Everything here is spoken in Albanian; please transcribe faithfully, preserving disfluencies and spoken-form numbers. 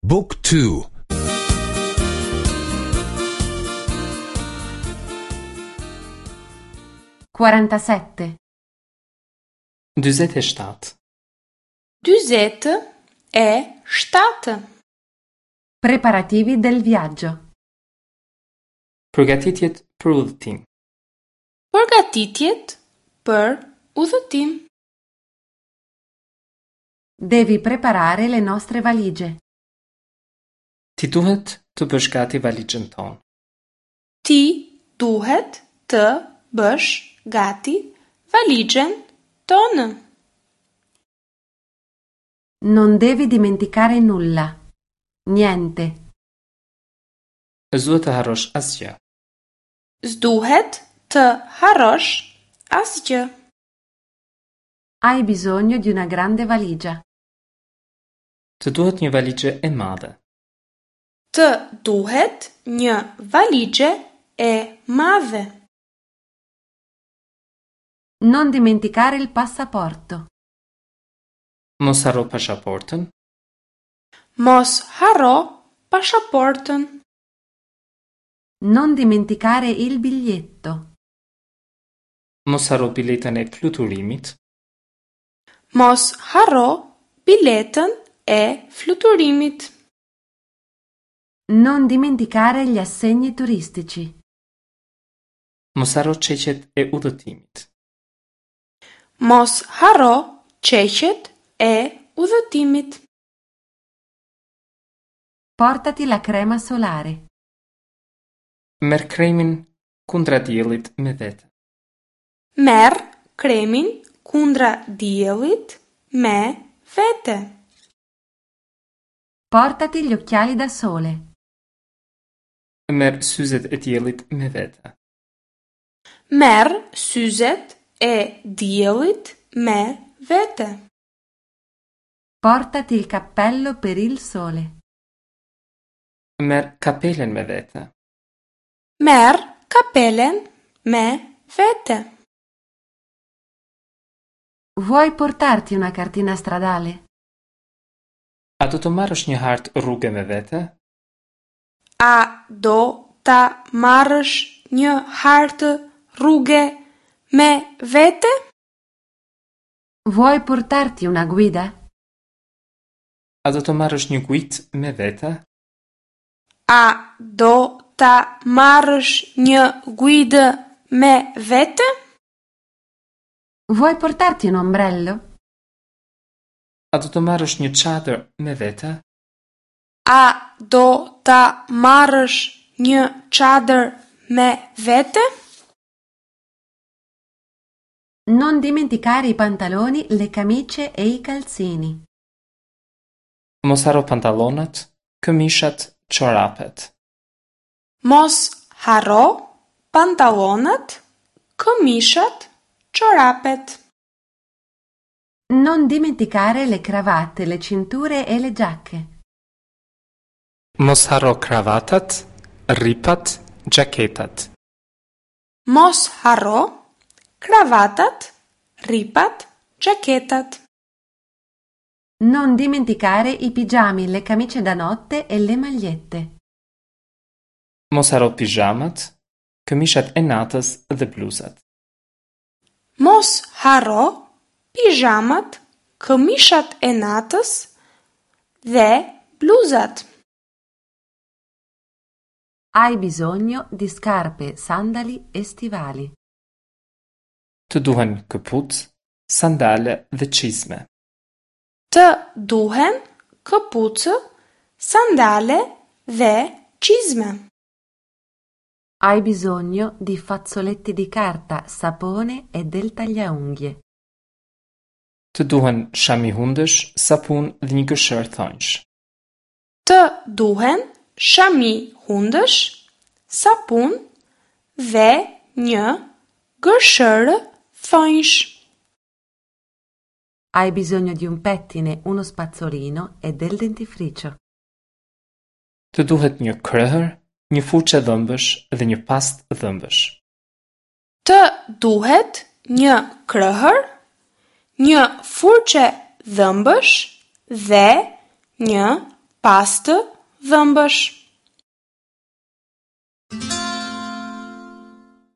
Book two. Quarantasette. Dyzet e shtatë. Dyzet e shtatë. Preparativi del viaggio. Përgatitjet për udhëtim. Përgatitjet për udhëtim. Devi preparare le nostre valigie. Ti duhet të bësh gati valixhen tonë. Ti duhet të bësh gati valixhen tonë. Non devi dimenticare nulla. Niente. S'duhet të harrosh asgjë. S'duhet të harrosh asgjë. Hai bisogno di una grande valigia. Të duhet një valixhe e madhe. Të duhet një valixhe e madhe. Non dimenticare il passaporto. Mos harro pasaportën. Mos harro pasaportën. Non dimenticare il biglietto. Mos harro biletën e fluturimit. Mos harro biletën e fluturimit. Non dimenticare gli assegni turistici. Mos harro çeqet e udhëtimit. Mos harro çeqet e udhëtimit. Portati la crema solare. Merr kremin kundra diellit me vete. Merr kremin kundra diellit me vete. Portati gli occhiali da sole. Merr syzet e diellit me vete. Merr syzet e diellit me vete. Portati il cappello per il sole. Merr kapelen me vete. Merr kapelen me vete. Vuoi portarti una cartina stradale? A do të marrësh një hartë rruge me vete? A do ta marrësh një hartë rruge me vete? Vuoi portarti una guida? A do të marrësh një guidë me vete? A do ta marrësh një guidë me vete? Vuoi portarti un ombrello? A do të marrësh një çadër me vete? A do ta marrësh një çadër me vete? Non dimenticare i pantaloni, le camicie e i calzini. Mos harro pantallonat, këmishat, çorapet. Mos harro pantallonat, këmishat, çorapet. Non dimenticare le cravatte, le cinture e le giacche. Mos harro kravatat, rripat, xhaketat. Mos harro kravatat, rripat, xhaketat. Non dimenticare i pigiami, le camicie da notte e le magliette. Mos harro pijamat, këmishat e natës dhe bluzat. Mos harro pijamat, këmishat e natës dhe bluzat. Hai bisogno di scarpe, sandali e stivali. Të duhen këpucë, sandale dhe çizme. Të duhen këpucë, sandale dhe çizme. Hai bisogno di fazzoletti di carta, sapone e del tagliaunghie. Të duhen shami hundësh, sapun dhe një gërshërë thonjsh. Të duhen shami hundësh, sapun dhe një gërshërë thonjsh. Hai bisogno di un pettine, uno spazzolino e del dentifricio. Të duhet një krehër, një furçë dhëmbësh dhe një pastë dhëmbësh. Të duhet një krehër, një furçë dhëmbësh dhe një Pastë dhëmbësh.